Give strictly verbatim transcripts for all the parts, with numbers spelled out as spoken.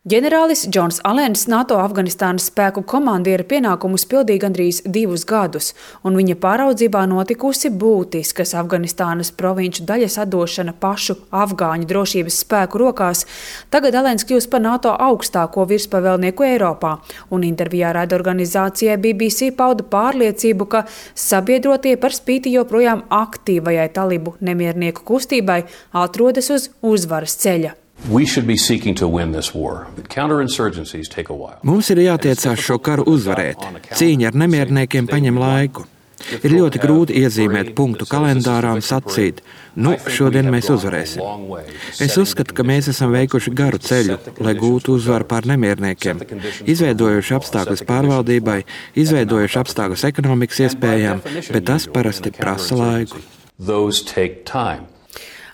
Ģenerālis Džons Alens NATO Afganistānas spēku komandiera pienākumus pildīja gandrīz divus gadus, un viņa pāraudzībā notikusi būtiskas Afganistānas provinču daļas atdošana pašu afgāņu drošības spēku rokās. Tagad Alens kļūst par NATO augstāko virspavēlnieku Eiropā, un intervijā raidorganizācijai B B C pauda pārliecību, ka sabiedrotie par spīti joprojām aktīvajai talibu nemiernieku kustībai atrodas uz uzvaras ceļa. Mums ir jātiecās šo karu uzvarēt. Cīņa ar nemierniekiem paņem laiku. Ir ļoti grūti iezīmēt punktu kalendārā un sacīt, nu, šodien mēs uzvarēsim. Es uzskatu, ka mēs esam veikuši garu ceļu, lai gūtu uzvaru pār nemierniekiem, izveidojuši apstākļus pārvaldībai, izveidojuši apstākļus ekonomikas iespējām, bet tas parasti prasa laiku.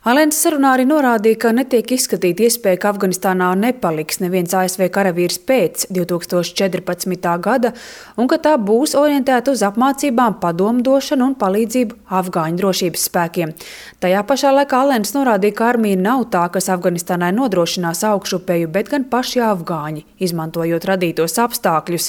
Alens sarunā arī norādīja, ka netiek izskatīta iespēja, ka Afganistānā nepaliks neviens A S V karavīrs pēc divi tūkstoši četrpadsmitā gada un ka tā būs orientēta uz apmācībām, padomdošanu un palīdzību afgāņu drošības spēkiem. Tajā pašā laikā Alens norādīja, ka armija nav tā, kas Afganistānai nodrošinās augšupeju, bet gan paši afgāņi, izmantojot radītos apstākļus.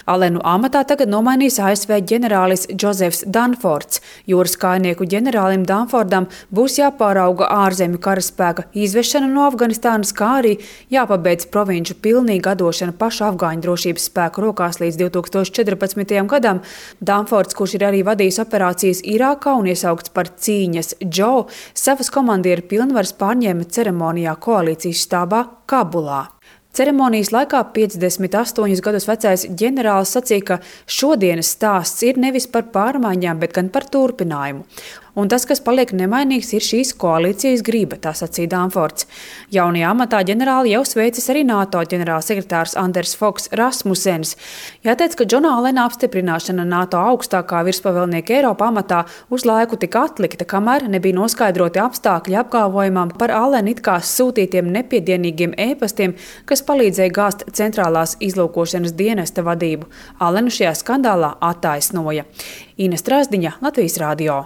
Alenu amatā tagad nomainīs A S V ģenerālis Džozefs Danfords. Jūras kājnieku ģenerālim Danfordam būs jāpārauga ārzemju karaspēka izvešana no Afganistānas, kā arī jāpabeidz provinču pilnīga atdošana pašu afgāņu drošības spēku rokās līdz divi tūkstoši četrpadsmitajam gadam. Danfords, kurš ir arī vadījis operācijas Irākā un iesaukts par cīņas Džo, savas komandieru pilnvaras pārņēma ceremonijā koalīcijas štābā Kabulā. Ceremonijas laikā piecdesmit astoņus gadus vecais ģenerālis sacīja, ka šodienas stāsts ir nevis par pārmaiņām, bet gan par turpinājumu. Un tas, kas paliek nemainīgs, ir šīs koalīcijas griba, tā sacīja Danfords. Jaunajā amatā ģenerāli jau sveicis arī NATO ģenerālsekretārs Anders Foks Rasmussens. Jāteic, ka Džona Alena apstiprināšana NATO augstākā virspavēlnieka Eiropā amatā uz laiku tika atlikta, kamēr nebija noskaidroti apstākļi apgalvojumam par Alena it kā sūtītiem nepiedienīgiem ēpastiem, kas palīdzēja gāzt centrālās izlūkošanas dienesta vadību. Alenu šajā skandālā attaisnoja. Ines Trāsdiņa, Latvijas radio.